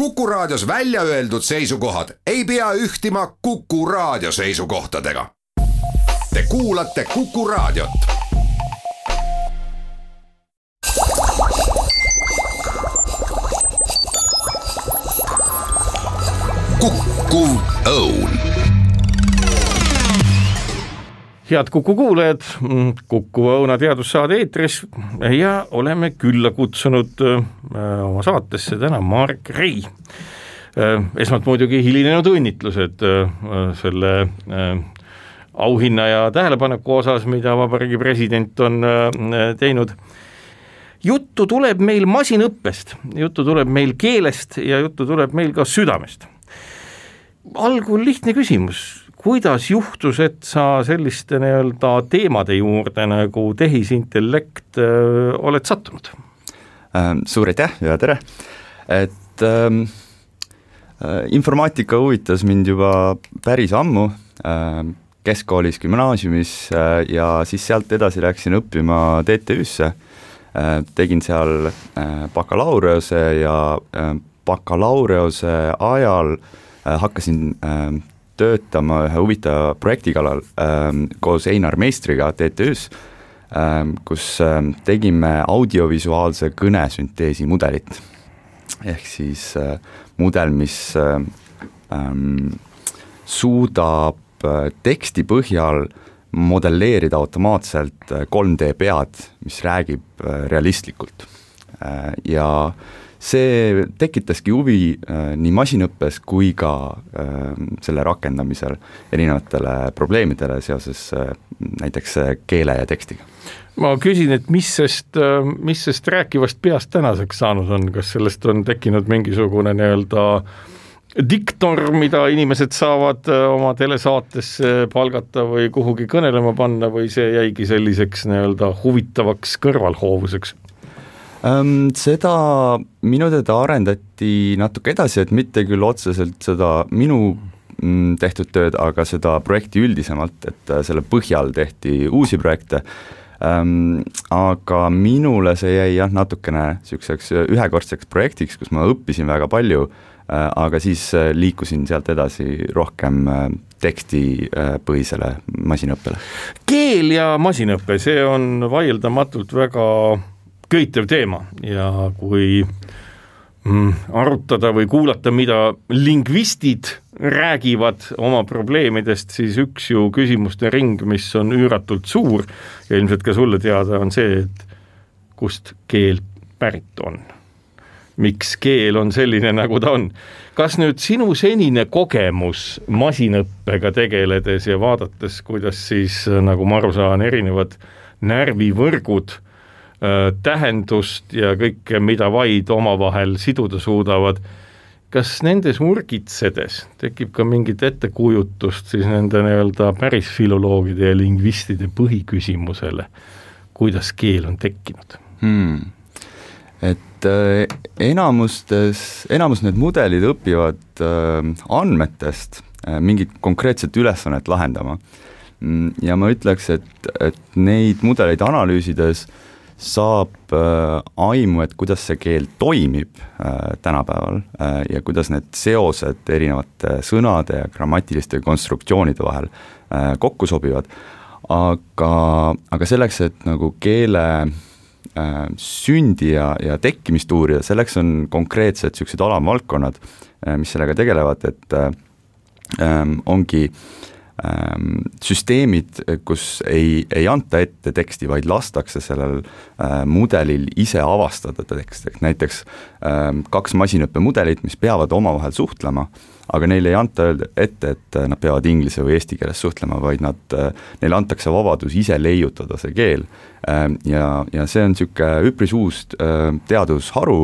Kuku Raadios välja öeldud seisukohad ei pea ühtima Kuku Raadio seisukohtadega. Te kuulate Kuku Raadiot. Kuku Õun. Head Kuku kuulajad, Kuku Õuna teadussaade eetris ja oleme külla kutsunud oma saatesse täna Marek Rei. Esmalt muidugi hilinenud õnnitlused selle auhinna ja tähelepaneku osas, mida Vabariigi president on teinud. Juttu tuleb meil masinõppest, juttu tuleb meil keelest ja juttu tuleb meil ka südamest. Algul lihtne küsimus. Kuidas juhtus, et sa selliste teemade juurde nagu tehisintellekt oled sattunud? Suur aitäh ja tere! Et informaatika huvitas mind juba päris ammu keskkoolis, gümnaasiumis ja siis sealt edasi läksin õppima TTÜ-sse. Tegin seal bakalaureuse ja bakalaureuse ajal hakkasin töötama ühe huvitava projekti kallal koos Einar Meistriga TTÜ-s, kus tegime audiovisuaalse kõnesünteesi mudelit. Ehk siis mudel, mis suudab teksti põhjal modelleerida automaatselt 3D pead, mis räägib realistlikult. Ja see tekitaski huvi nii masinõppes kui ka selle rakendamisel erinevatele probleemidele seoses näiteks keele ja tekstiga. Ma küsin, et mis sest rääkivast peast tänaseks saanud on? Kas sellest on tekkinud mingisugune diktor, mida inimesed saavad oma telesaatesse palgata või kuhugi kõnelema panna või see jäigi selliseks huvitavaks kõrvalhoovuseks? Seda minu teada arendati natuke edasi, et mitte küll otseselt seda minu tehtud tööd, aga seda projekti üldisemalt, et selle põhjal tehti uusi projekte, aga minule see jäi natukene selliseks ühekordseks projektiks, kus ma õppisin väga palju, aga siis liikusin sealt edasi rohkem tekstipõhisele masinõppele. Keel ja masinõppe, see on vaieldamatult väga köitev teema ja kui arutada või kuulata, mida lingvistid räägivad oma probleemidest, siis üks ju küsimuste ring, mis on üüratult suur ja ilmselt ka sulle teada on see, et kust keel pärit on. Miks keel on selline, nagu ta on. Kas nüüd sinu senine kogemus masinõppega tegeledes ja vaadates, kuidas siis, nagu ma aru saan, erinevad närvivõrgud tähendust ja kõike, mida vaid omavahel siduda suudavad. Kas nendes urgitsedes tekib ka mingit ettekujutust siis nende päris filoloogide ja lingvistide põhiküsimusele, kuidas keel on tekkinud? Et enamus need mudelid õpivad andmetest mingit konkreetset ülesannet lahendama. Ja ma ütleks, et neid mudeleid analüüsides saab aimu, et kuidas see keel toimib tänapäeval ja kuidas need seosed erinevate sõnade ja grammatiliste konstruktsioonide vahel kokku sobivad. Aga selleks, et nagu keele sündi ja tekkimist uurida, selleks on konkreetsed sellised alamvaldkonnad, mis sellega tegelevad, et ongi süsteemid, kus ei anta ette teksti, vaid lastakse sellel mudelil ise avastada teksti. Näiteks 2 masinõppemudelit, mis peavad omavahel suhtlema, aga neile ei anta ette, et nad peavad inglise või eesti keeles suhtlema, vaid neile antakse vabadus ise leiutada see keel. Ja see on selline üpris uus teadusharu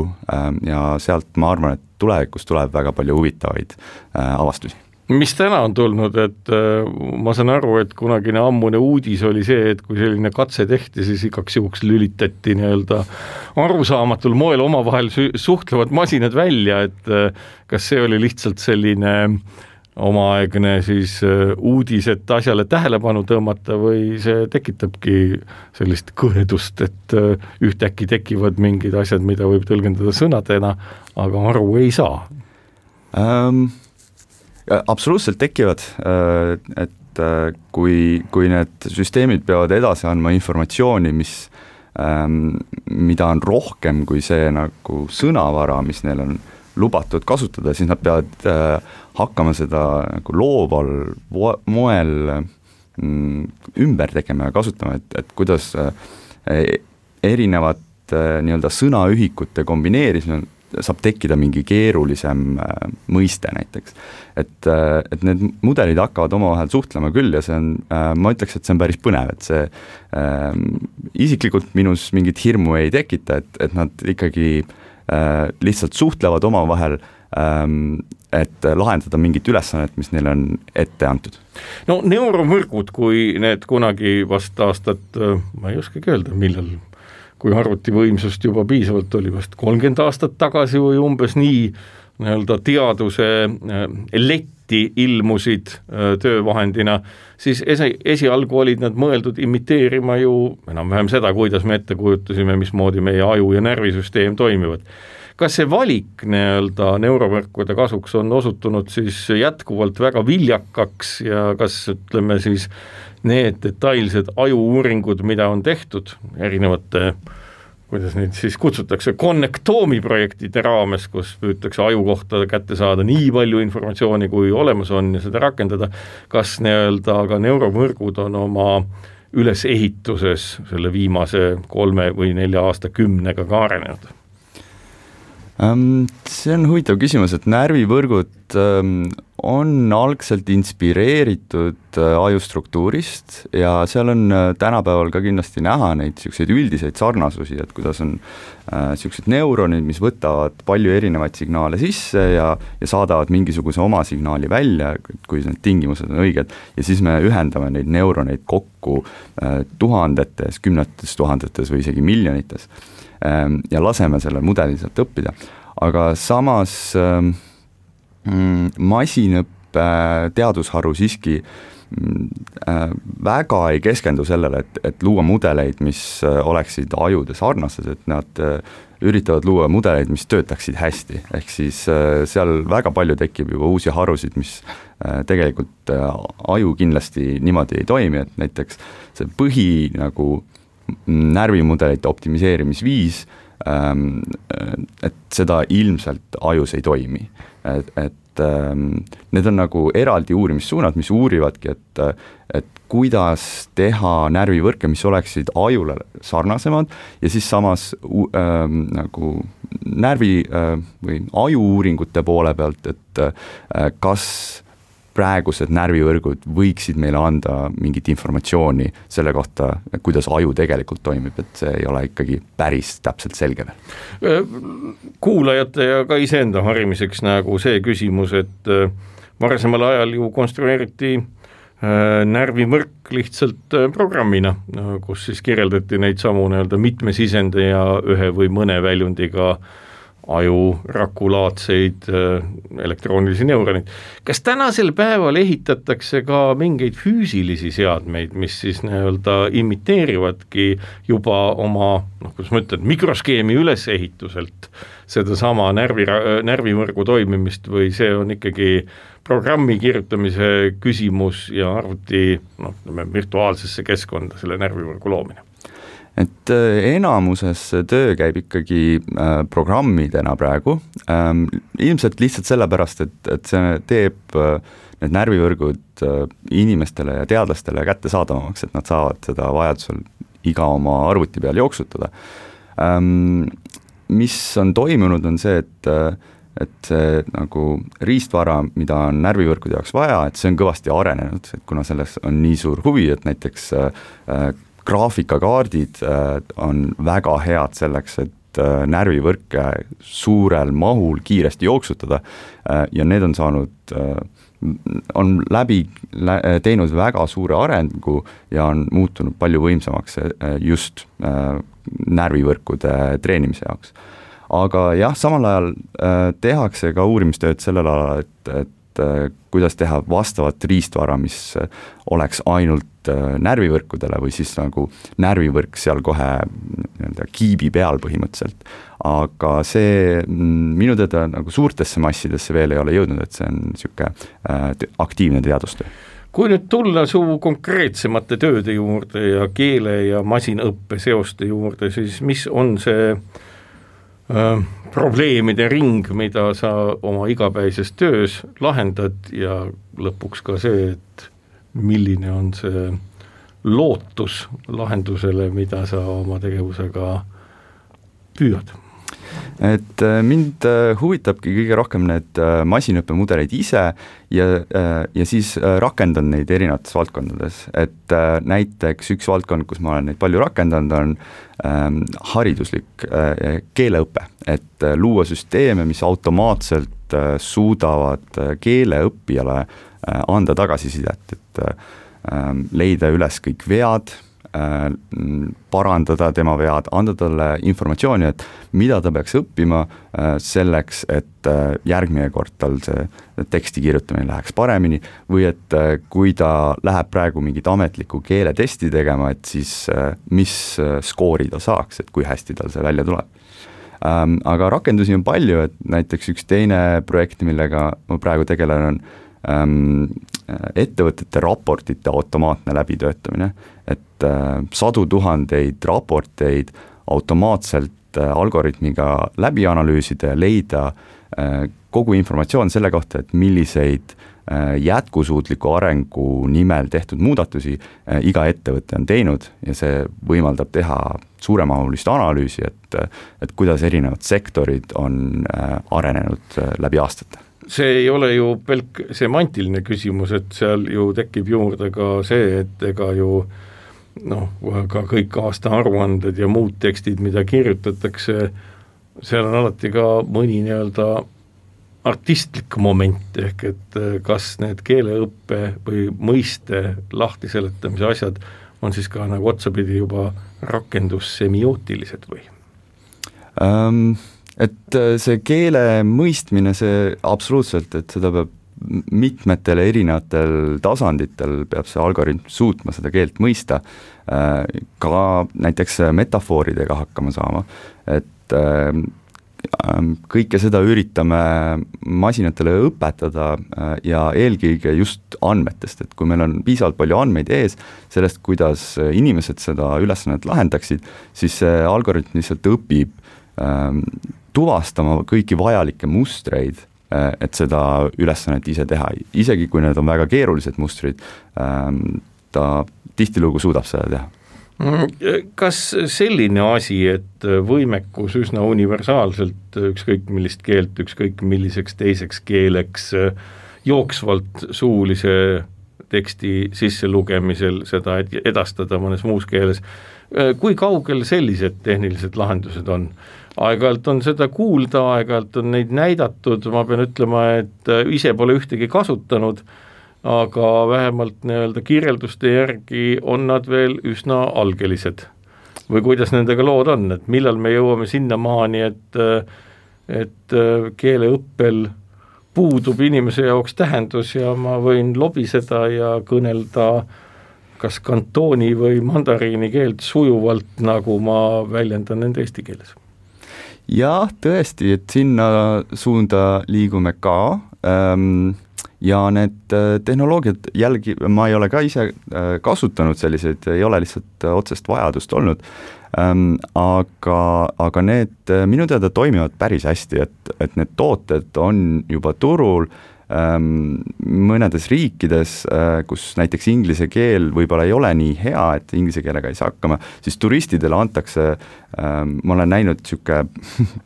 ja sealt ma arvan, et tulevikus tuleb väga palju huvitavaid avastusi. Mis täna on tulnud, et ma saan aru, et kunagine ammune uudis oli see, et kui selline katse tehti, siis igaks juhuks lülitati arusaamatul moel omavahel suhtlevad masinad välja, et kas see oli lihtsalt selline omaaegne siis uudis, et asjale tähelepanu tõmmata või see tekitabki sellist kõhedust, et ühtäkki tekivad mingid asjad, mida võib tõlgendada sõnadena, aga aru ei saa. Absoluutselt tekivad, et kui need süsteemid peavad edasi andma informatsiooni, mida on rohkem kui see nagu sõnavara, mis neil on lubatud kasutada, siis nad peavad hakkama seda nagu looval moel ümber tegema ja kasutama, et kuidas erinevat nii-öelda sõnaühikute kombineerimine saab tekkida mingi keerulisem mõiste näiteks. Et need mudelid hakkavad omavahel suhtlema küll ja see on, ma ütleks, et see on päris põnev, et see isiklikult minus mingit hirmu ei tekita, et nad ikkagi lihtsalt suhtlevad omavahel, et lahendada mingit ülesannet, mis neile on ette antud. No neuromõrgud, kui need kunagi vast aastat, ma ei oskagi öelda, millal, kui arvutivõimsust juba piisavalt oli vast 30 aastat tagasi või umbes nii nii-öelda teaduse letti ilmusid töövahendina, siis esialgu olid nad mõeldud imiteerima ju enam-vähem seda, kuidas me ette kujutasime, mismoodi meie aju ja närvisüsteem toimivad. Kas see valik nii-öelda neurovõrkude kasuks on osutunud siis jätkuvalt väga viljakaks ja kas ütleme siis need detailsed ajuuuringud, mida on tehtud erinevate, kuidas neid siis kutsutakse, konnektoomi projektide raames, kus püütakse aju kohta kätte saada nii palju informatsiooni, kui olemas on ja seda rakendada, kas nii-öelda aga neuromõrgud on oma ülesehituses selle viimase 3 või 4 aastakümnega ka arenenud? See on huvitav küsimus, et närvivõrgud on algselt inspireeritud ajustruktuurist ja seal on tänapäeval ka kindlasti näha neid selliseid üldiseid sarnasusi, et kuidas on sellised neuronid, mis võtavad palju erinevaid signaale sisse ja saadavad mingisuguse oma signaali välja, kui need tingimused on õiged, ja siis me ühendame neid neuroneid kokku tuhandetes, kümnetes tuhandetes või isegi miljonites ja laseme selle mudeli sealt õppida. Aga samas masinõppe teadusharu siiski väga ei keskendu sellele, et luua mudeleid, mis oleksid ajude sarnased, et nad üritavad luua mudeleid, mis töötaksid hästi. Ehk siis seal väga palju tekib juba uusi harusid, mis tegelikult aju kindlasti niimoodi ei toimi, et näiteks see põhi nagu närvimudelite optimiseerimisviis, et seda ilmselt ajus ei toimi. Et need on nagu eraldi uurimissuunad, mis uurivadki, et kuidas teha närvivõrke, mis oleksid ajule sarnasemad ja siis samas nagu närvi või ajuuuringute poole pealt, et kas praegused närvivõrgud võiksid meile anda mingit informatsiooni selle kohta, kuidas aju tegelikult toimib, et see ei ole ikkagi päris täpselt selge veel. Kuulajate ja ka iseenda harimiseks nagu see küsimus, et varasemal ajal ju konstrueeriti närvivõrk lihtsalt programmina, kus siis kirjeldati neid samu nii-öelda mitmesisende ja ühe või mõne väljundiga aju rakulaadseid elektroonilisi neuroneid. Kas tänasel päeval ehitatakse ka mingeid füüsilisi seadmeid, mis siis nii-öelda imiteerivadki juba oma, kuidas ma ütlen, mikroskeemi ülesehituselt sedasama närvivõrgu toimimist või see on ikkagi programmi kirjutamise küsimus ja arvuti virtuaalsesse keskkonda selle närvivõrgu loomine? Et enamuses töö käib ikkagi programmidena praegu, ilmselt lihtsalt sellepärast, et see teeb need närvivõrgud inimestele ja teadlastele kättesaadavamaks, et nad saavad seda vajadusel iga oma arvuti peal jooksutada. Mis on toimunud, on see, et see nagu riistvara, mida on närvivõrkude jaoks vaja, et see on kõvasti arenenud, et kuna selles on nii suur huvi, et näiteks graafikakaardid on väga head selleks, et närvivõrke suurel mahul kiiresti jooksutada ja need on saanud, on teinud väga suure arengu ja on muutunud palju võimsamaks just närvivõrkude treenimise jaoks. Aga jah, samal ajal tehakse ka uurimistööd sellel alal, et kuidas teha vastavat riistvara, mis oleks ainult närvivõrkudele või siis nagu närvivõrk seal kohe kiibi peal põhimõtteliselt. Aga see minu teada nagu suurtesse massidesse veel ei ole jõudnud, et see on niisugune aktiivne teadustöö. Kui nüüd tulla su konkreetsemate tööde juurde ja keele ja masinaõppe seoste juurde, siis mis on see probleemide ring, mida sa oma igapäises töös lahendad ja lõpuks ka see, et milline on see lootus lahendusele, mida sa oma tegevusega püüad? Et mind huvitabki kõige rohkem need masinaõppemudeleid ise ja siis rakendan neid erinevates valdkondades, et näiteks üks valdkond, kus ma olen neid palju rakendanud, on hariduslik keeleõpe, et luua süsteeme, mis automaatselt suudavad keeleõppijale anda tagasisidet, et leida üles kõik vead, parandada tema vead, anda talle informatsiooni, et mida ta peaks õppima selleks, et järgmine kord tal see teksti kirjutamine läheks paremini või et kui ta läheb praegu mingit ametlikku keeletesti tegema, et siis mis skoori ta saaks, et kui hästi tal see välja tuleb. Aga rakendusi on palju, et näiteks üks teine projekt, millega ma praegu tegelen, on ettevõtete raportite automaatne läbitöötamine, et sadu tuhandeid raporteid automaatselt algoritmiga läbi analüüsida ja leida kogu informatsioon selle kohta, et milliseid jätkusuutliku arengu nimel tehtud muudatusi iga ettevõte on teinud ja see võimaldab teha suuremahulist analüüsi, et kuidas erinevad sektorid on arenenud läbi aastate. See ei ole ju pelk semantiline küsimus, et seal ju tekib juurde ka see, et ega ju ka kõik aastaaruanded ja muud tekstid, mida kirjutatakse, seal on alati ka mõni nii-öelda artistlik moment, ehk et kas need keeleõppe või mõiste lahtiseletamise asjad on siis ka nagu otsapidi juba rakendussemiootilised või? Et see keele mõistmine, see absoluutselt, et seda peab mitmetel erinevatel tasanditel peab see algoritm suutma seda keelt mõista, ka näiteks metafooridega hakkama saama, et kõike seda üritame masinatele õpetada ja eelkõige just andmetest, et kui meil on piisavalt palju andmeid ees sellest, kuidas inimesed seda ülesannet lahendaksid, siis see algoritm lihtsalt õpib tuvastama kõiki vajalikke mustreid, et seda ülesannet ise teha, isegi kui need on väga keerulised mustrid, ta tihtilugu suudab seda teha. Kas selline asi, et võimekus üsna universaalselt ükskõik millist keelt, ükskõik milliseks teiseks keeleks jooksvalt suulise teksti sisselugemisel seda edastada mõnes muus keeles, kui kaugel sellised tehnilised lahendused on? Aeg-ajalt on seda kuulda, aeg-ajalt on neid näidatud, ma pean ütlema, et ise pole ühtegi kasutanud, aga vähemalt nii-öelda kirjelduste järgi on nad veel üsna algelised. Või kuidas nendega lood on, et millal me jõuame sinna maani, et keeleõppel puudub inimese jaoks tähendus ja ma võin lobiseda ja kõnelda kas kantooni või mandariini keelt sujuvalt, nagu ma väljendan nende eesti keeles. Jah, tõesti, et sinna suunda liigume ka ja need tehnoloogiad jälgi, ma ei ole ka ise kasutanud selliseid, ei ole lihtsalt otsest vajadust olnud, aga need minu teada toimivad päris hästi, et need tooted on juba turul mõnedes riikides, kus näiteks inglise keel võib-olla ei ole nii hea, et inglise keelega ei saa hakkama, siis turistidele antakse, ma olen näinud siuke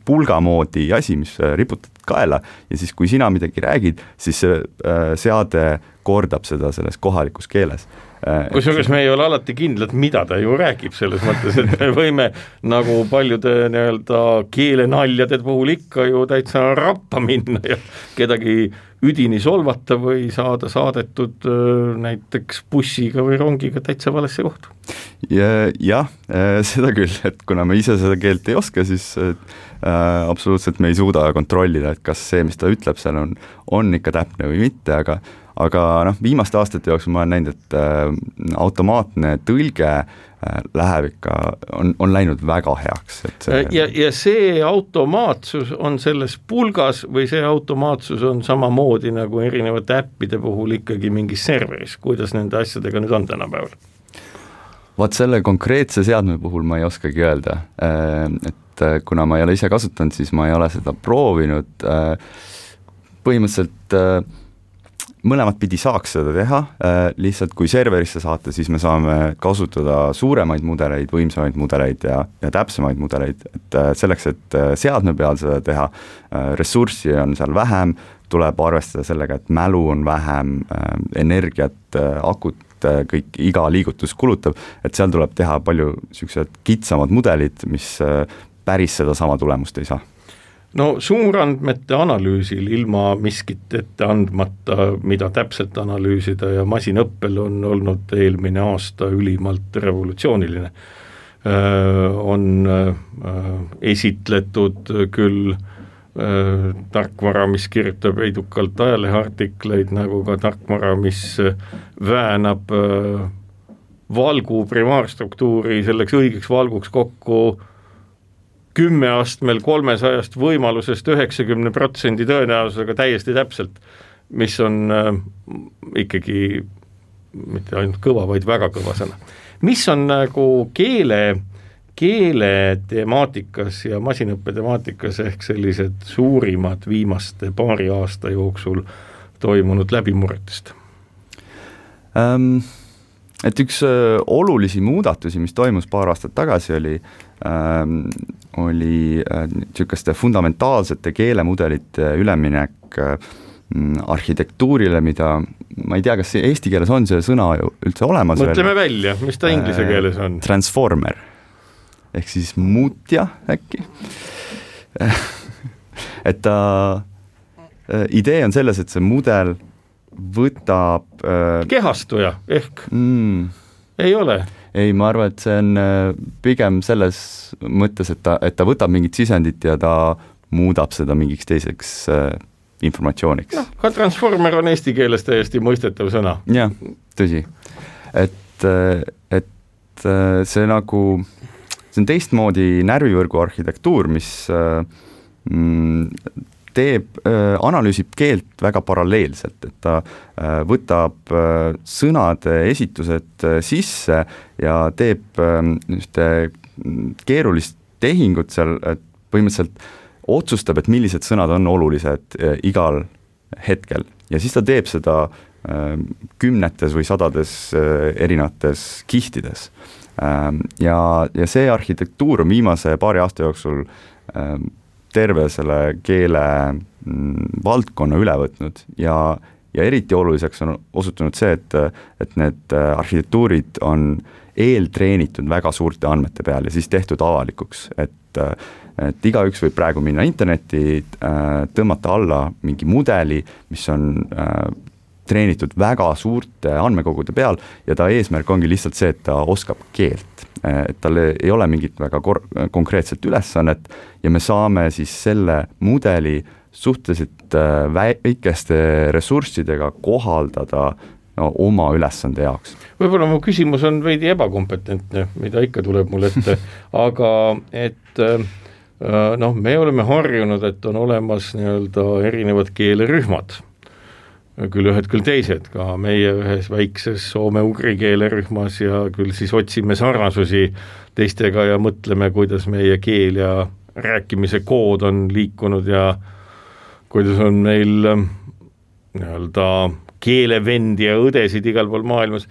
pulgamoodi asi, mis riputad kaela ja siis kui sina midagi räägid, siis see seade kordab seda selles kohalikus keeles. kusjuures me ei ole alati kindlad, mida ta ju räägib, selles mõttes, et me võime nagu paljude nii-öelda keelenaljade puhul ikka ju täitsa rappa minna ja kedagi üdini solvata või saada saadetud näiteks bussiga või rongiga täitsa valesse kohta. Jah, seda küll, et kuna me ise seda keelt ei oska, siis absoluutselt me ei suuda kontrollida, et kas see, mis ta ütleb, seal on ikka täpne või mitte, aga viimaste aastate jooksul ma olen näinud, et automaatne tõlge läheb ikka, on läinud väga heaks. Ja see automaatsus on selles pulgas või see automaatsus on samamoodi nagu erinevate äppide puhul ikkagi mingis serveris, kuidas nende asjadega nüüd on tänapäeval? Vaat selle konkreetse seadme puhul ma ei oskagi öelda, et kuna ma ei ole ise kasutanud, siis ma ei ole seda proovinud, põhimõtteliselt mõlemat pidi saaks seda teha, lihtsalt kui serverisse saata, siis me saame kasutada suuremaid mudeleid, võimsamaid mudeleid ja täpsemaid mudeleid, et selleks, et seadme peal seda teha, ressurssi on seal vähem, tuleb arvestada sellega, et mälu on vähem, energiat, akut, kõik iga liigutus kulutab, et seal tuleb teha palju sellised kitsamad mudelid, mis päris seda sama tulemust ei saa. No suurandmete analüüsil ilma miskit ette andmata, mida täpselt analüüsida ja masinõppel on olnud eelmine aasta ülimalt revolutsiooniline. On esitletud küll tarkvara, mis kirjutab edukalt ajaleheartikleid, nagu ka tarkvara, mis väänab valgu primaarstruktuuri selleks õigeks valguks kokku 10 astmel 300 võimalusest 90% tõenäosusega täiesti täpselt, mis on ikkagi mitte ainult kõva, vaid väga kõva sõna. Mis on nagu keele temaatikas ja masinõppe temaatikas ehk sellised suurimad viimaste paari aasta jooksul toimunud läbimurretest? Et üks olulisi muudatusi, mis toimus paar aastat tagasi, oli niisuguste fundamentaalsete keelemudelite üleminek arhitektuurile, mida ma ei tea, kas eesti keeles on see sõna üldse olemas. Mõtleme välja, mis ta inglise keeles on? Transformer, ehk siis muutja äkki. Et ta idee on selles, et see mudel võtab kehastuja ehk ei ole? Ei, ma arvan, et see on pigem selles mõttes, et ta võtab mingit sisendit ja ta muudab seda mingiks teiseks informatsiooniks. No, ka transformer on eesti keeles täiesti mõistetav sõna. Jah, tõsi. Et see nagu, see on teistmoodi närvivõrgu arhitektuur, mis analüüsib keelt väga paralleelselt, et ta võtab sõnade esitused sisse ja teeb keerulist tehingut seal, et põhimõtteliselt otsustab, et millised sõnad on olulised igal hetkel ja siis ta teeb seda kümnetes või sadades erinevates kihtides. Ja see arhitektuur on viimase paari aasta jooksul terve selle keele valdkonna üle võtnud ja eriti oluliseks on osutunud see, et need arhitektuurid on eeltreenitud väga suurte andmete peal ja siis tehtud avalikuks, et igaüks võib praegu minna internetti, tõmmata alla mingi mudeli, mis on treenitud väga suurte andmekogude peal ja ta eesmärk ongi lihtsalt see, et ta oskab keelt. Et tal ei ole mingit väga konkreetset ülesannet ja me saame siis selle mudeli suhteliselt väikeste ressurssidega kohaldada oma ülesande jaoks. Võib-olla mu küsimus on veidi ebakompetentne, mida ikka tuleb mul ette, aga et me oleme harjunud, et on olemas nii-öelda erinevad keelerühmad, küll ühed, küll teised, ka meie ühes väikses soome-ugri keelerühmas ja küll siis otsime sarnasusi teistega ja mõtleme, kuidas meie keel ja rääkimise kood on liikunud ja kuidas on meil nii-öelda keelevendi ja õdesid igal pool maailmas.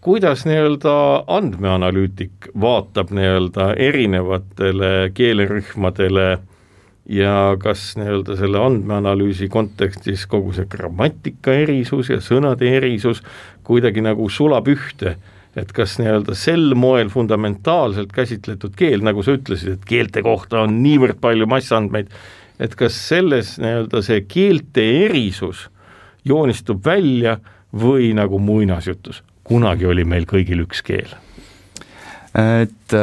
Kuidas nii-öelda andmeanalüütik vaatab nii-öelda erinevatele keelerühmadele ja kas nii-öelda selle andmeanalüüsi kontekstis kogu see grammatika erisus ja sõnade erisus kuidagi nagu sulab ühte, et kas nii-öelda sel moel fundamentaalselt käsitletud keel, nagu sa ütlesid, et keelte kohta on niivõrd palju massandmeid, et kas selles nii-öelda see keelte erisus joonistub välja või nagu muinasjutus, kunagi oli meil kõigil üks keel? Et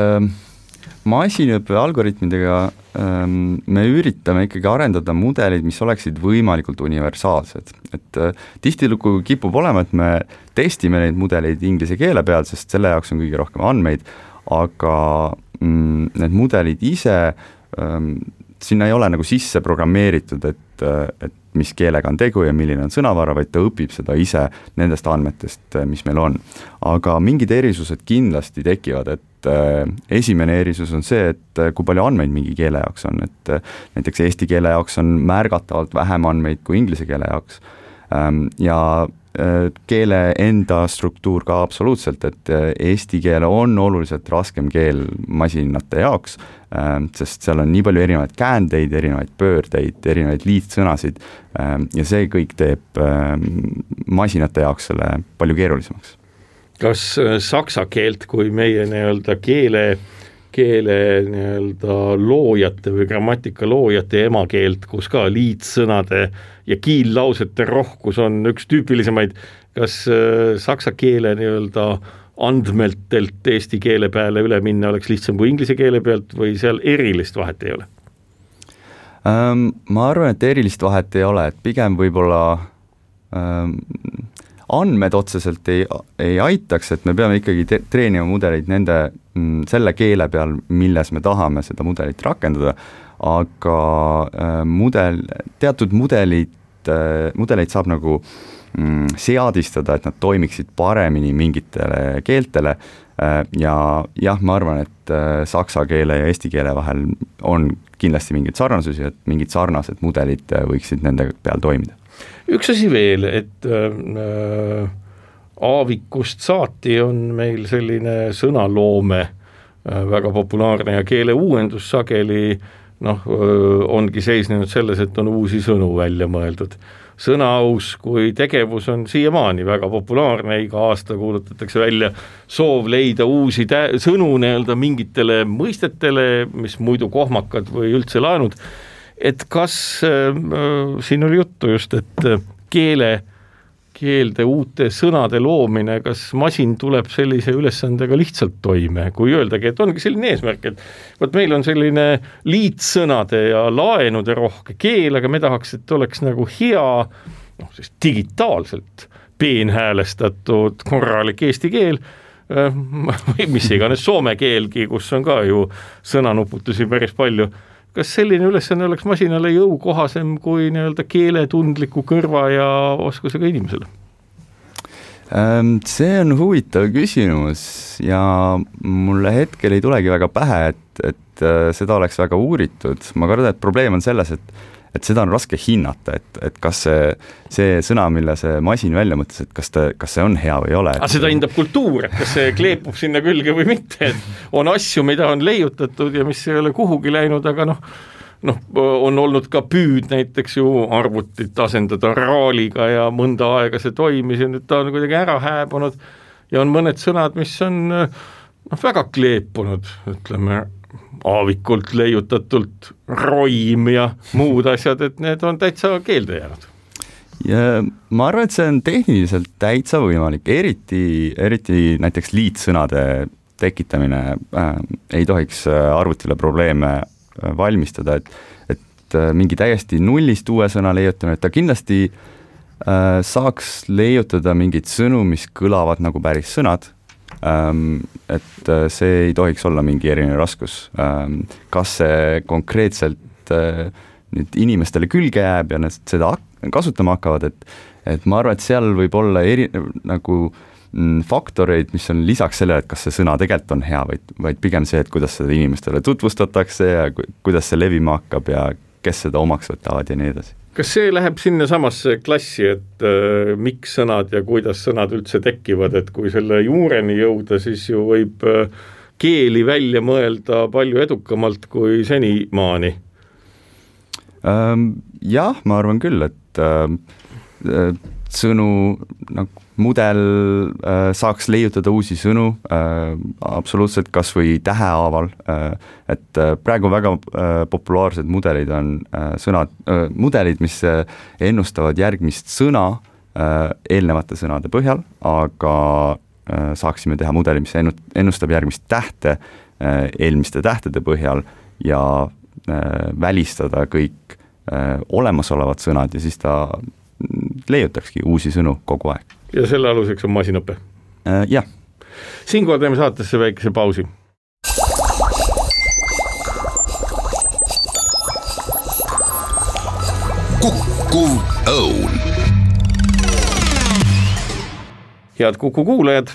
masinõppe algoritmidega me üritame ikkagi arendada mudelid, mis oleksid võimalikult universaalsed. Et tihtilugu kipub olema, et me testime neid mudeleid inglise keele peal, sest selle jaoks on kõige rohkem andmeid, aga need mudelid ise, sinna ei ole nagu sisse programmeeritud, et mis keelega on tegu ja milline on sõnavara, vaid ta õpib seda ise nendest andmetest, mis meil on. Aga mingid erisused kindlasti tekivad, et esimene erisus on see, et kui palju andmeid mingi keele jaoks on, et näiteks eesti keele jaoks on märgatavalt vähem andmeid kui inglise keele jaoks ja keele enda struktuur ka absoluutselt, et eesti keele on oluliselt raskem keel masinate jaoks, sest seal on nii palju erinevaid käändeid, erinevaid pöördeid, erinevaid liitsõnasid ja see kõik teeb masinate jaoks selle palju keerulisemaks. Kas saksa keelt kui meie nii-öelda keele nii-öelda loojate või grammatika loojate emakeelt, kus ka liitsõnade ja kiillausete rohkus on üks tüüpilisemaid, kas saksa keele nii-öelda andmeltelt eesti keele peale üle minna oleks lihtsam kui inglise keele pealt või seal erilist vahet ei ole? Ma arvan, et erilist vahet ei ole, et pigem võib-olla andmed otseselt ei aitaks, et me peame ikkagi treenima mudeleid selle keele peal, milles me tahame seda mudelit rakendada, aga teatud mudeleid saab nagu seadistada, et nad toimiksid paremini mingitele keeltele ja jah, ma arvan, et saksa keele ja eesti keele vahel on kindlasti mingeid sarnasusi, et mingid sarnased mudelid võiksid nende peal toimida. Üks asi veel, et aavikust saati on meil selline sõnaloome väga populaarne ja keele uuendus sageli ongi seisnenud selles, et on uusi sõnu välja mõeldud. Sõnaaus kui tegevus on siiamaani väga populaarne, iga aasta kuulutatakse välja soov leida uusi sõnu nii-öelda mingitele mõistetele, mis muidu kohmakad või üldse laenud. Et kas siin oli juttu just, et keelde uute sõnade loomine, kas masin tuleb sellise ülesandega lihtsalt toime, kui öeldagi, et ongi selline eesmärk, et meil on selline liitsõnade ja laenude rohke keel, aga me tahaks, et oleks nagu hea, siis digitaalselt peenhäälestatud korralik eesti keel, või mis iganes soome keelgi, kus on ka ju sõnanuputusi päris palju. Kas selline ülesanne oleks masinale jõukohasem kui nii-öelda keeletundliku kõrva ja oskusega inimesele? See on huvitav küsimus ja mulle hetkel ei tulegi väga pähe, et seda oleks väga uuritud. Ma kardan, et probleem on selles, et seda on raske hinnata, et kas see sõna, mille see masin välja mõtles, et kas see on hea või ei ole. Aga seda hindab kultuur, et kas see kleepub sinna külge või mitte, et on asju, mida on leiutatud ja mis ei ole kuhugi läinud, aga on olnud ka püüd näiteks ju arvutit asendada raaliga ja mõnda aega see toimis ja nüüd ta on kuidagi ära hääbunud ja on mõned sõnad, mis on väga kleepunud, ütleme, aavikult leiutatult roim ja muud asjad, et need on täitsa keelde jäänud. Ja ma arvan, et see on tehniliselt täitsa võimalik, eriti näiteks liitsõnade tekitamine ei tohiks arvutile probleeme valmistada, et mingi täiesti nullist uue sõna leiutamine, et ta kindlasti saaks leiutada mingid sõnu, mis kõlavad nagu päris sõnad, et see ei tohiks olla mingi erinev raskus. Kas see konkreetselt nüüd inimestele külge jääb ja nad seda kasutama hakkavad, et ma arvan, et seal võib olla nagu faktoreid, mis on lisaks sellele, et kas see sõna tegelikult on hea, vaid pigem see, et kuidas seda inimestele tutvustatakse ja kuidas see levima hakkab ja kes seda omaks võtavad ja nii edasi. Kas see läheb sinna samasse klassi, et miks sõnad ja kuidas sõnad üldse tekivad, et kui selle juureni jõuda, siis ju võib keeli välja mõelda palju edukamalt kui senimaani? Jah, ma arvan küll, et sõnu, mudel saaks leiutada uusi sõnu absoluutselt kas või tähehaaval, et praegu väga populaarsed mudelid on mudelid, mis ennustavad järgmist sõna eelnevate sõnade põhjal, aga saaksime teha mudeli, mis ennustab järgmist tähte eelmiste tähtede põhjal ja välistada kõik olemasolevad sõnad ja siis ta leiutakski uusi sõnu kogu aeg. Ja selle aluseks on masinõpe? Jah. Siinkohal teeme saatesse väikese pausi. Kuku Õun. Head Kuku kuulajad,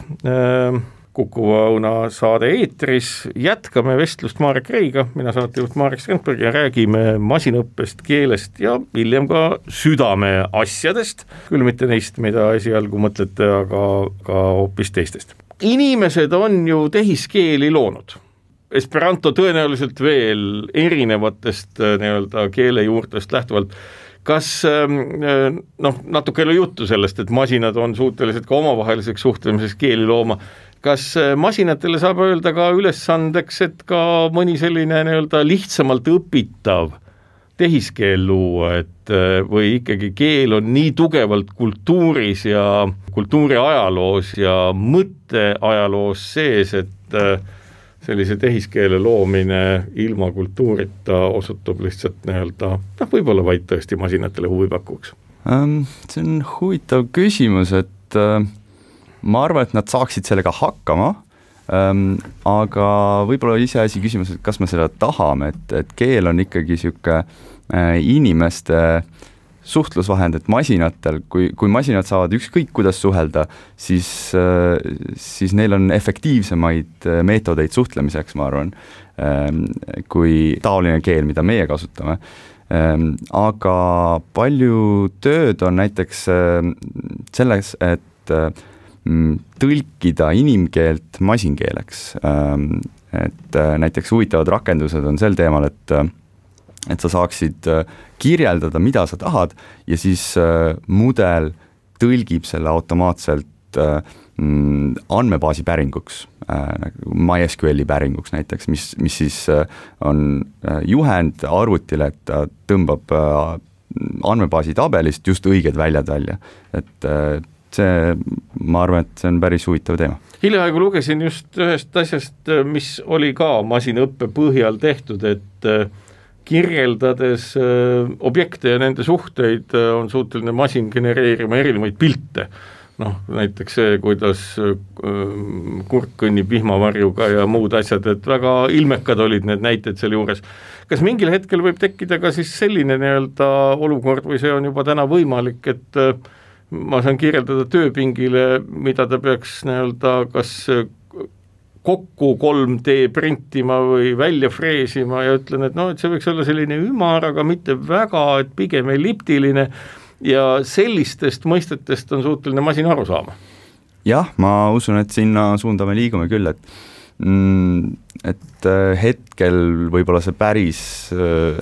Kuku Õuna saade eetris, jätkame vestlust Marek Reiga, mina saatejuht Marek Strandberg ja räägime masinõppest, keelest ja hiljem ka südame asjadest, küll mitte neist, mida esialgu mõtlete, aga ka hoopis teistest. Inimesed on ju tehiskeeli loonud. Esperanto tõenäoliselt veel erinevatest nii-öelda keelejuurtest lähtuvalt. Kas natuke oli juttu sellest, et masinad on suutelised ka omavaheliseks suhtlemiseks keeli looma. Kas masinatele saab öelda ka ülesandeks, et ka mõni selline nii-öelda lihtsamalt õpitav tehiskeel luua, et või ikkagi keel on nii tugevalt kultuuris ja kultuuriajaloos ja mõtteajaloos sees, et sellise tehiskeele loomine ilma kultuurita osutub lihtsalt nii-öelda, võib-olla vaid tõesti masinatele huvi pakuks? See on huvitav küsimus, et ma arvan, et nad saaksid sellega hakkama, aga võib-olla iseasi küsimus, et kas me seda tahame, et keel on ikkagi siuke inimeste suhtlusvahend, et masinatel, kui masinad saavad ükskõik kuidas suhelda, siis neil on efektiivsemaid meetodeid suhtlemiseks, ma arvan, kui taoline keel, mida meie kasutame. Aga palju tööd on näiteks selles, et tõlkida inimkeelt masinkeeleks. Et näiteks huvitavad rakendused on sel teemal, et sa saaksid kirjeldada, mida sa tahad ja siis mudel tõlgib selle automaatselt andmebaasi päringuks, MySQL-i päringuks näiteks, mis siis on juhend arvutile, et ta tõmbab andmebaasi tabelist just õiged väljad välja. Et ma arvan, et see on päris huvitav teema. Hiljaaegu lugesin just ühest asjast, mis oli ka masinõppe põhjal tehtud, et kirjeldades objekte ja nende suhteid on suuteline masin genereerima erinevaid pilte. Näiteks see, kuidas kurk kõnnib vihmavarjuga ja muud asjad, et väga ilmekad olid need näited seal juures. Kas mingil hetkel võib tekkida ka siis selline nii-öelda olukord või see on juba täna võimalik, et ma saan kirjeldada tööpingile, mida ta peaks nii-öelda kas kokku 3D printima või välja freesima ja ütlen, et et see võiks olla selline ümar, aga mitte väga, et pigem elliptiline ja sellistest mõistetest on suuteline masin aru saama. Jah, ma usun, et sinna suunda me liigume küll, et hetkel võib-olla see päris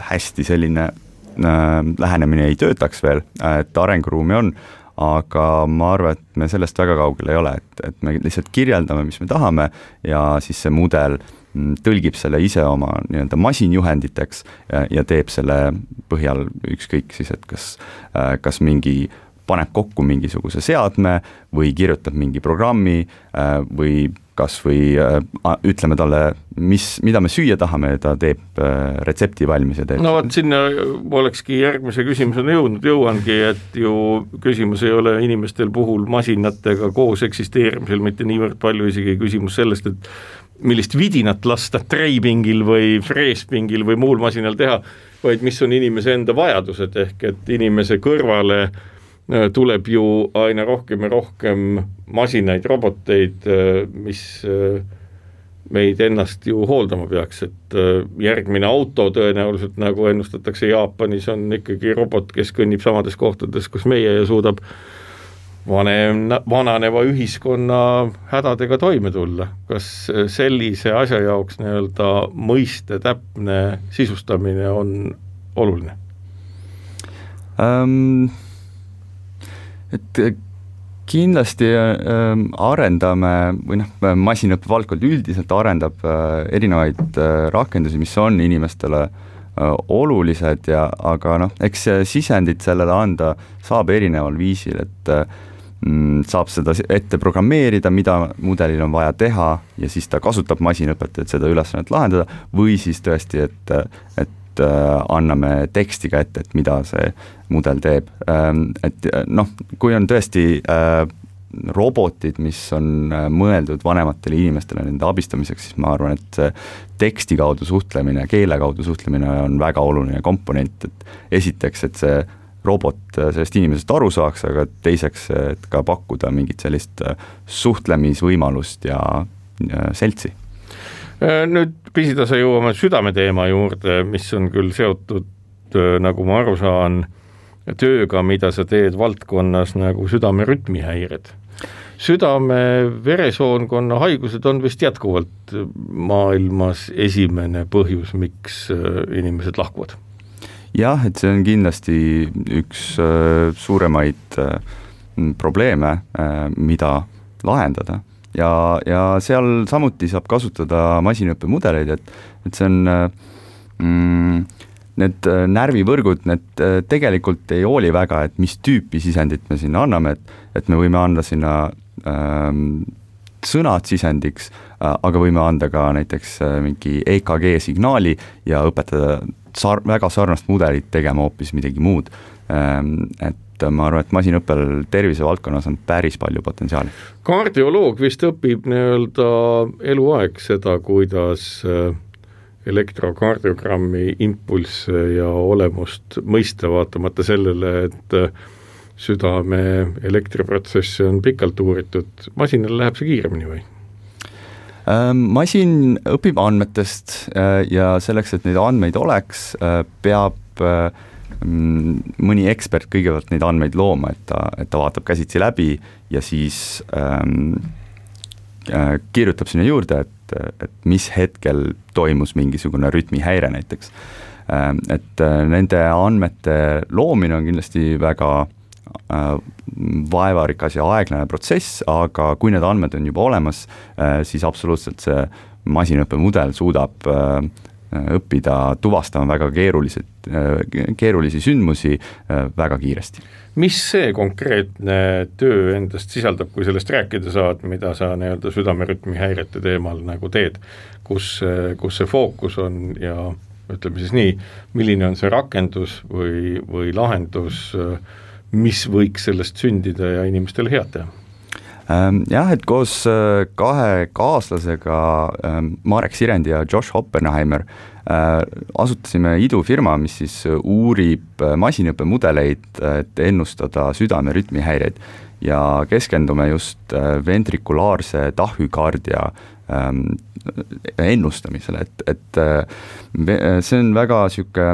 hästi selline lähenemine ei töötaks veel, et arenguruumi on, aga ma arvan, et me sellest väga kaugel ei ole, et me lihtsalt kirjeldame, mis me tahame ja siis see mudel tõlgib selle ise oma nii-öelda masinjuhenditeks ja teeb selle põhjal ükskõik siis, et kas mingi paneb kokku mingisuguse seadme või kirjutab mingi programmi või kas või ütleme talle, mida me süüa tahame ja ta teeb retsepti valmis ja teeb. Sinna olekski järgmise küsimusena jõuangi, et ju küsimus ei ole inimestel puhul masinatega koos eksisteerimisel, mitte niivõrd palju isegi küsimus sellest, et millist vidinat lasta treipingil või freespingil või muul masinal teha, vaid mis on inimese enda vajadused, ehk et inimese kõrvale tuleb ju aina rohkem ja rohkem masinaid, roboteid, mis meid ennast ju hooldama peaks, et järgmine auto tõenäoliselt, nagu ennustatakse Jaapanis, on ikkagi robot, kes kõnnib samades kohtades, kus meie ja suudab vananeva ühiskonna hädadega toime tulla. Kas sellise asja jaoks nii-öelda mõiste täpne sisustamine on oluline? Et kindlasti arendame või masinõppe valdkond üldiselt arendab erinevaid rakendusi, mis on inimestele olulised aga eks sisendit sellele anda saab erineval viisil, et saab seda ette programmeerida, mida mudelil on vaja teha ja siis ta kasutab masinõpet, et seda ülesannet lahendada või siis tõesti, et anname tekstiga ette, et mida see mudel teeb. Et kui on tõesti robotid, mis on mõeldud vanematele inimestele nende abistamiseks, siis ma arvan, et see teksti kaudu suhtlemine, keele kaudu suhtlemine on väga oluline komponent, et esiteks, et see robot sellest inimesest aru saaks, aga teiseks, et ka pakkuda mingit sellist suhtlemisvõimalust ja seltsi. Nüüd pisitasa jõuame südameteema juurde, mis on küll seotud, nagu ma aru saan, tööga, mida sa teed valdkonnas nagu südamerütmihäired. Südame-veresoonkonna haigused on vist jätkuvalt maailmas esimene põhjus, miks inimesed lahkuvad. Jah, et see on kindlasti üks suuremaid probleeme, mida lahendada. Ja seal samuti saab kasutada masinõppemudeleid, et see on need närvivõrgud, need tegelikult ei hooli väga, et mis tüüpi sisendit me sinna anname, et me võime anda sinna sõnad sisendiks, aga võime anda ka näiteks mingi EKG signaali ja õpetada väga sarnast mudelit tegema hoopis midagi muud. Et ma arvan, et masinõppel tervisevaldkonnas on päris palju potentsiaali. Kardioloog vist õpib nii-öelda eluaeg seda, kuidas elektrokardiogrammi impulsse ja olemust mõista, vaatamata sellele, et südame elektriprotsessi on pikalt uuritud. Masinal läheb see kiiremini või? Masin õpib andmetest ja selleks, et neid andmeid oleks, peab mõni ekspert kõigepealt neid andmeid looma, et ta vaatab käsitsi läbi ja siis kirjutab sinna juurde, et mis hetkel toimus mingisugune rütmihäire näiteks. Et nende andmete loomine on kindlasti väga vaevarikas ja aeglane protsess, aga kui need andmed on juba olemas, siis absoluutselt see masinõppemudel suudab õppida tuvastama väga keerulisi sündmusi väga kiiresti. Mis see konkreetne töö endast sisaldab, kui sellest rääkida saad, mida sa nii-öelda südamerütmihäirete teemal nagu teed, kus see fookus on ja ütleme siis nii, milline on see rakendus või lahendus, mis võiks sellest sündida ja inimestele head teha? Jah, et koos kahe kaaslasega Marek Sirendi ja Josh Oppenheimer asutasime idufirma, mis siis uurib masinõppemudeleid, et ennustada südamerütmihäireid ja keskendume just ventrikulaarse tahükardia ennustamisele, et see on väga siuke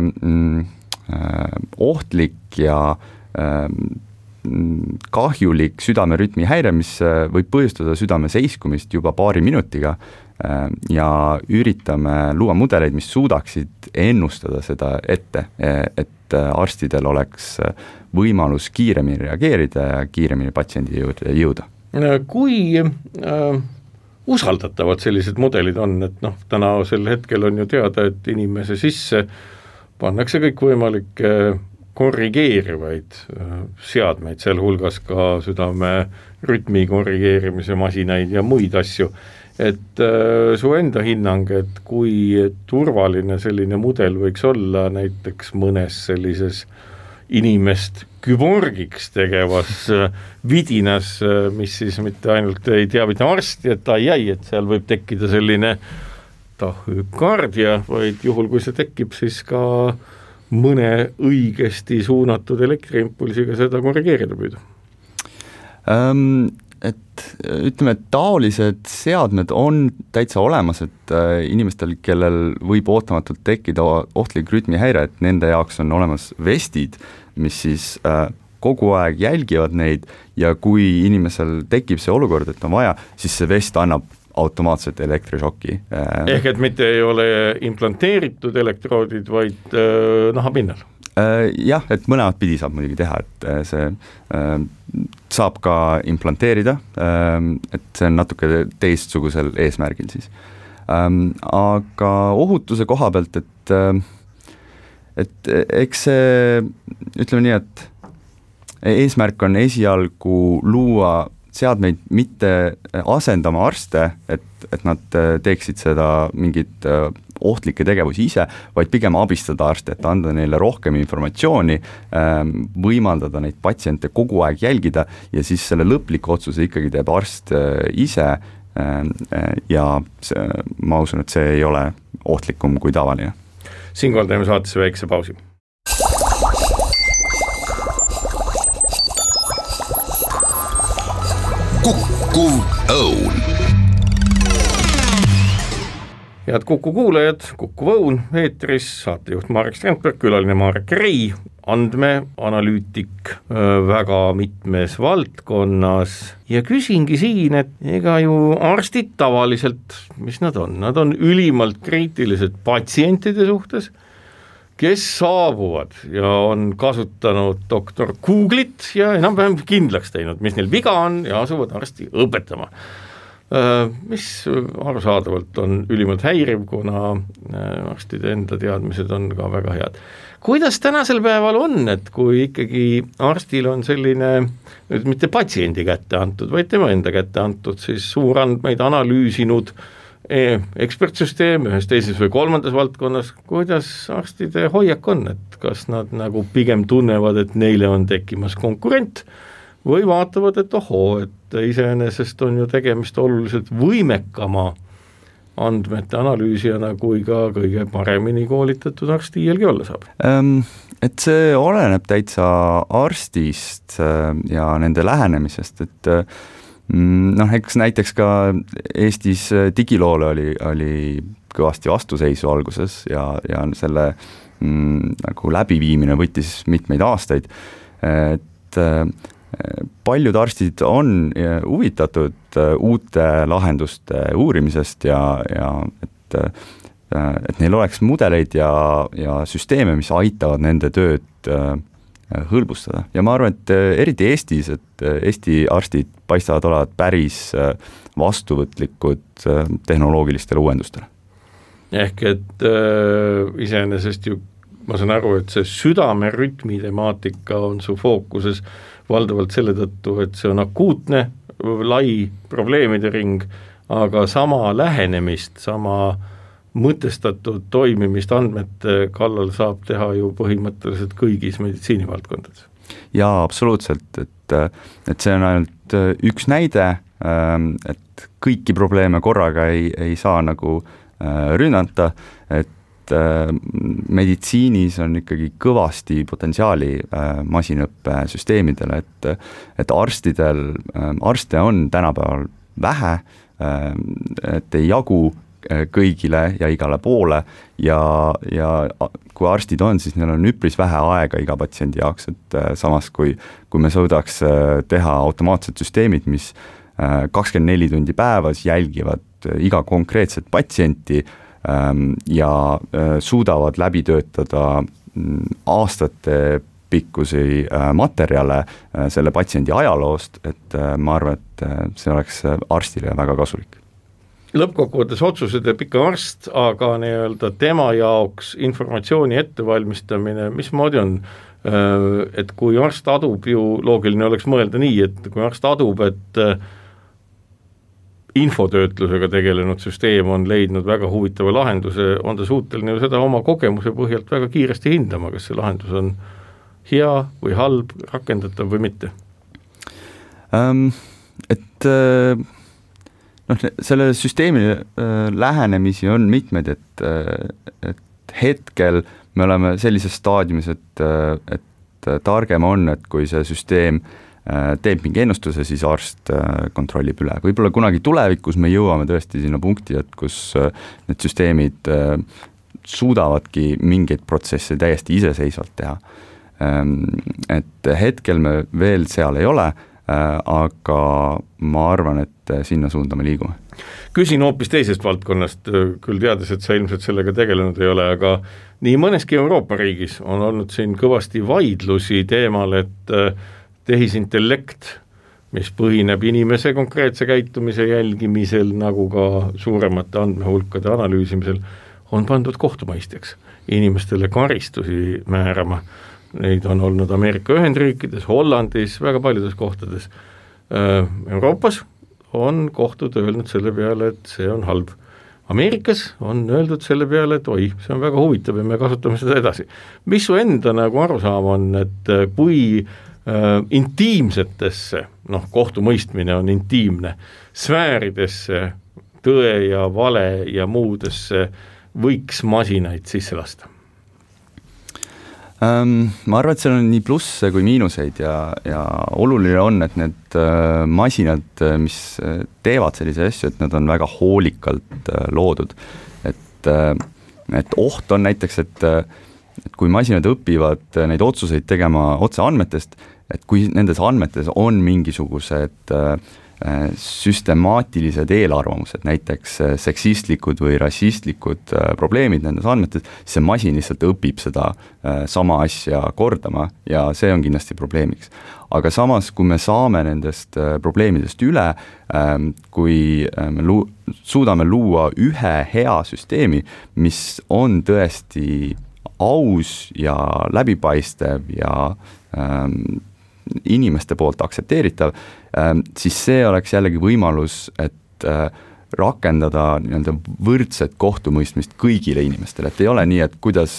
ohtlik ja kahjulik südamerütmihäire, mis võib põhjustada südame seiskumist juba paari minutiga ja üritame luua mudeleid, mis suudaksid ennustada seda ette, et arstidel oleks võimalus kiiremini reageerida ja kiiremini patsiendi juurde jõuda. Kui usaldatavad sellised mudelid on, et tänasel hetkel on ju teada, et inimese sisse pannakse kõik võimalikke korrigeerivaid seadmeid, sealhulgas ka südame rütmi korrigeerimise masinaid ja muid asju, et su enda hinnang, et kui turvaline selline mudel võiks olla näiteks mõnes sellises inimest küborgiks tegevas vidinas, mis siis mitte ainult ei teavita arsti, et et seal võib tekkida selline tahükardia, vaid juhul, kui see tekib, siis ka mõne õigesti suunatud elektriimpulsiga seda korrigeerida püüda? Et ütleme, et taolised seadmed on täitsa olemas, et inimestel, kellel võib ootamatult tekkida ohtlik rütmihäire, et nende jaoks on olemas vestid, mis siis kogu aeg jälgivad neid ja kui inimesel tekib see olukord, et on vaja, siis see vest annab automaatselt elektrišoki. Ehk et mitte ei ole implanteeritud elektroodid, vaid nahapinnal? Jah, et mõlemat pidi saab muidugi teha, et see saab ka implanteerida, et see on natuke teistsugusel eesmärgil siis. Aga ohutuse koha pealt, et eks see, ütleme nii, et eesmärk on esialgu luua seadmeid mitte asendama arste, et nad teeksid seda mingit ohtlikke tegevusi ise, vaid pigem abistada arste, et anda neile rohkem informatsiooni, võimaldada neid patsiente kogu aeg jälgida ja siis selle lõpliku otsuse ikkagi teeb arst ise ja see, ma usun, et see ei ole ohtlikum kui tavaline. Siinkohal teeme saatesse väikse pausi. Kukkuv Õun. Head Kuku kuulajad, Kukkuv Õun eetris, saatejuht Marek Strandberg, külaline Marek Rei, andmeanalüütik väga mitmes valdkonnas ja küsingi siin, et ega ju arstid tavaliselt, mis nad on ülimalt kriitilised patsientide suhtes, kes saabuvad ja on kasutanud doktor Google'it ja enam-vähem kindlaks teinud, mis neil viga on ja asuvad arsti õpetama. Mis arusaadavalt on ülimalt häiriv, kuna arstide enda teadmised on ka väga head. Kuidas tänasel päeval on, et kui ikkagi arstil on selline, mitte patsiendi kätte antud, vaid tema enda kätte antud, siis suurandmeid analüüsinud ekspertsüsteem ühes teises või kolmandas valdkonnas, kuidas arstide hoiak on, et kas nad nagu pigem tunnevad, et neile on tekkimas konkurent või vaatavad, et ohoo, et iseenesest on ju tegemist oluliselt võimekama andmete analüüsijana, kui ka kõige paremini koolitatud arst iielgi olla saab? Et see oleneb täitsa arstist ja nende lähenemisest, et eks näiteks ka Eestis digiloole oli kõvasti vastuseisu alguses ja selle nagu läbiviimine võttis mitmeid aastaid, et paljud arstid on huvitatud uute lahenduste uurimisest ja et neil oleks mudeleid ja süsteeme, mis aitavad nende tööd hõlbustada. Ja ma arvan, et eriti Eestis, et Eesti arstid paistavad olevat päris vastuvõtlikud tehnoloogilistele uuendustele. Ehk et iseenesest ju ma saan aru, et see südamerütmi temaatika on su fookuses valdavalt selle tõttu, et see on akuutne, lai probleemide ring, aga sama lähenemist, sama mõtestatud toimimist andmete kallal saab teha ju põhimõtteliselt kõigis meditsiinivaldkondades. Jaa, absoluutselt, et see on ainult üks näide, et kõiki probleeme korraga ei saa nagu rünnata, et meditsiinis on ikkagi kõvasti potentsiaali masinõppesüsteemidele, et arste on tänapäeval vähe, et ei jagu kõigile ja igale poole ja kui arstid on, siis neil on üpris vähe aega iga patsiendi jaoks, et samas kui me suudaks teha automaatsed süsteemid, mis 24 tundi päevas jälgivad iga konkreetset patsienti ja suudavad läbi töötada aastate pikkusi materjale selle patsiendi ajaloost, et ma arvan, et see oleks arstile väga kasulik. Lõppkokkuvõttes otsuse teeb ikka arst, aga nii-öelda tema jaoks informatsiooni ettevalmistamine, mismoodi on? Et kui arst adub ju, loogiline oleks mõelda nii, et kui arst adub, et infotöötlusega tegelenud süsteem on leidnud väga huvitava lahenduse, on ta suuteline seda oma kogemuse põhjalt väga kiiresti hindama, kas see lahendus on hea või halb, rakendatav või mitte? Selle süsteemi lähenemisi on mitmed, et hetkel me oleme sellises staadiumis, et targem on, et kui see süsteem teeb mingi ennustuse, siis arst kontrollib üle. Võib-olla kunagi tulevikus me jõuame tõesti sinna punkti, et kus need süsteemid suudavadki mingeid protsesse täiesti iseseisvalt teha. Et hetkel me veel seal ei ole, aga ma arvan, et sinna suunda me liigume. Küsin hoopis teisest valdkonnast, küll teades, et sa ilmselt sellega tegelenud ei ole, aga nii mõneski Euroopa riigis on olnud siin kõvasti vaidlusi teemal, et tehisintellekt, mis põhineb inimese konkreetse käitumise jälgimisel, nagu ka suuremate andmehulkade analüüsimisel, on pandud kohtumõistjaks, inimestele karistusi määrama. Neid on olnud Ameerika Ühendriikides, Hollandis, väga paljudes kohtades. Euroopas on kohtud öelnud selle peale, et see on halb. Ameerikas on öeldud selle peale, et oi, see on väga huvitav ja me kasutame seda edasi. Mis su enda nagu arusaam on, et kui intiimsetesse, kohtumõistmine on intiimne, sfääridesse, tõe ja vale ja muudesse võiks masinaid sisse lasta? Ma arvan, et seal on nii plusse kui miinuseid ja oluline on, et need masinad, mis teevad sellise asju, et nad on väga hoolikalt loodud. Et oht on näiteks, et kui masinad õpivad neid otsuseid tegema otse andmetest, et kui nendes andmetes on mingisugused süstemaatilised eelarvamused, näiteks seksistlikud või rassistlikud probleemid nendes andmetes, siis see masin lihtsalt õpib seda sama asja kordama ja see on kindlasti probleemiks. Aga samas, kui me saame nendest probleemidest üle, kui me suudame luua ühe hea süsteemi, mis on tõesti aus ja läbipaistev ja inimeste poolt aktsepteeritav, siis see oleks jällegi võimalus, et rakendada nii-öelda võrdset kohtumõistmist kõigile inimestele, et ei ole nii, et kuidas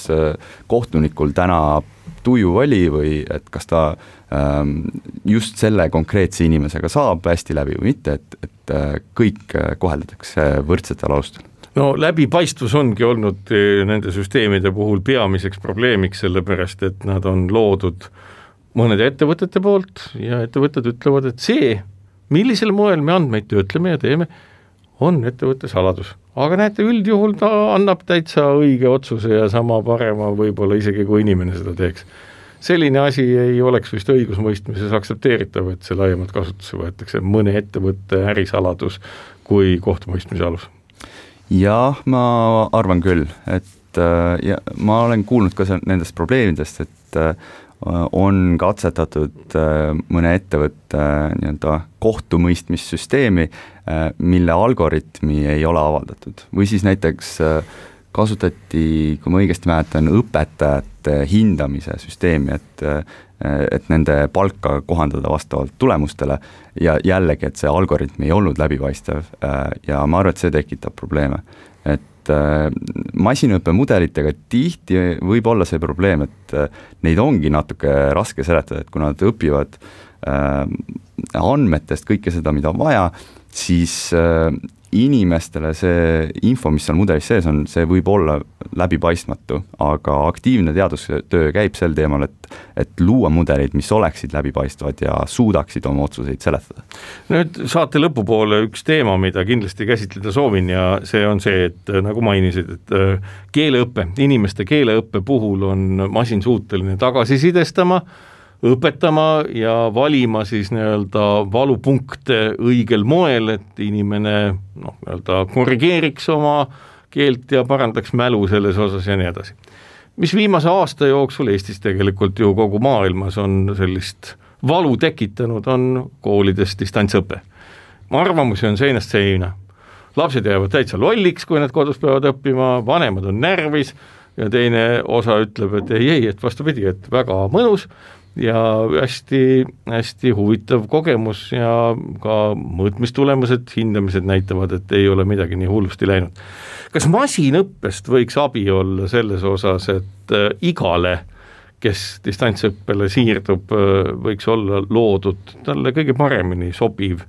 kohtunikul täna tuju oli või et kas ta just selle konkreetse inimesega saab hästi läbi või mitte, et kõik koheldatakse võrdsetel alustel. No läbipaistvus ongi olnud nende süsteemide puhul peamiseks probleemiks, sellepärast et nad on loodud mõnede ettevõtete poolt ja ettevõtted ütlevad, et see, millisel moel me andmeid töötleme ja teeme, on ettevõtte saladus. Aga näete, üldjuhul ta annab täitsa õige otsuse ja sama parema võib-olla isegi kui inimene seda teeks. Selline asi ei oleks vist õigusmõistmises aktsepteeritav, et see laiemalt kasutusse võetakse mõne ettevõtte ärisaladus kui kohtumõistmise alus. Jah, ma arvan küll, et ja ma olen kuulnud ka nendest probleemidest, et on katsetatud mõne ettevõtte nii-öelda kohtumõistmissüsteemi, mille algoritmi ei ole avaldatud. Või siis näiteks kasutati, kui ma õigesti mäletan, õpetajate hindamise süsteemi, et nende palka kohandada vastavalt tulemustele ja jällegi, et see algoritm ei olnud läbipaistev ja ma arvan, et see tekitab probleeme. Et masinõppemudelitega tihti võib olla see probleem, et neid ongi natuke raske seletada, et kui nad õpivad andmetest kõike seda, mida on vaja, siis inimestele see info, mis seal mudelis sees on, see võib olla läbipaistmatu, aga aktiivne teadustöö käib sel teemal, et luua mudelid, mis oleksid läbipaistvad ja suudaksid oma otsuseid seletada. Nüüd saate lõpupoole üks teema, mida kindlasti käsitleda soovin ja see on see, et nagu mainisid, et keeleõppe, inimeste keeleõppe puhul on masin suuteline tagasisidestama, õpetama ja valima siis nii-öelda valupunkte õigel moel, et inimene nii-öelda korrigeeriks oma keelt ja parandaks mälu selles osas ja nii edasi. Mis viimase aasta jooksul Eestis tegelikult ju kogu maailmas on sellist valu tekitanud, on koolides distantsõpe. Arvamusi on seinast seina. Lapsed jäävad täitsa lolliks, kui nad kodus peavad õppima, vanemad on närvis ja teine osa ütleb, et ei, et vastupidi, et väga mõnus ja hästi huvitav kogemus ja ka mõõtmistulemused, hindamised näitavad, et ei ole midagi nii hullusti läinud. Kas masinõppest võiks abi olla selles osas, et igale, kes distantsõppele siirdub, võiks olla loodud talle kõige paremini sobiv,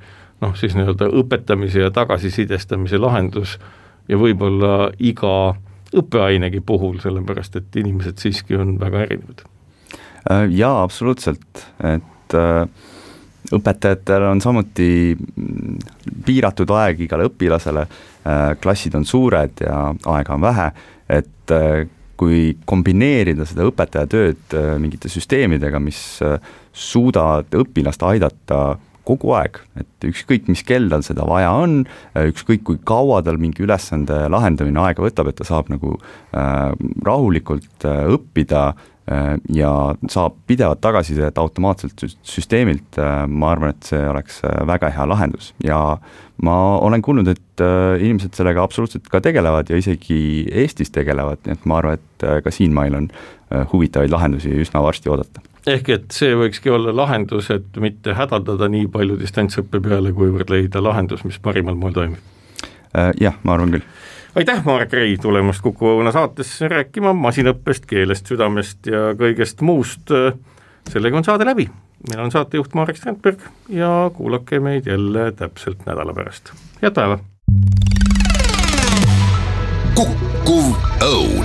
siis nii-öelda õpetamise ja tagasisidestamise lahendus ja võib-olla iga õppeainegi puhul, sellepärast et inimesed siiski on väga erinevad? Jaa, absoluutselt, et õpetajatel on samuti piiratud aeg igale õpilasele, klassid on suured ja aega on vähe, et kui kombineerida seda õpetaja tööd mingite süsteemidega, mis suudavad õpilast aidata kogu aeg, et ükskõik mis kell tal seda vaja on, ükskõik kui kaua tal mingi ülesande lahendamine aega võtab, et ta saab nagu rahulikult õppida ja saab pidevat tagasisidet automaatselt süsteemilt, ma arvan, et see oleks väga hea lahendus ja ma olen kuulnud, et inimesed sellega absoluutselt ka tegelevad ja isegi Eestis tegelevad, nii et ma arvan, et ka siin meil on huvitavaid lahendusi üsna varsti oodata. Ehk et see võikski olla lahendus, et mitte hädaldada nii palju distantsõppe peale, kuivõrd leida lahendus, mis parimal moel toimib. Jah, ma arvan küll. Aitäh, Marek Rei, tulemast Kuku Õuna saatesse rääkima masinõppest, keelest, südamest ja kõigest muust. Sellega on saade läbi. Meil on saatejuht Marek Strandberg ja kuulake meid jälle täpselt nädala pärast. Head päeva! Kuku Õun.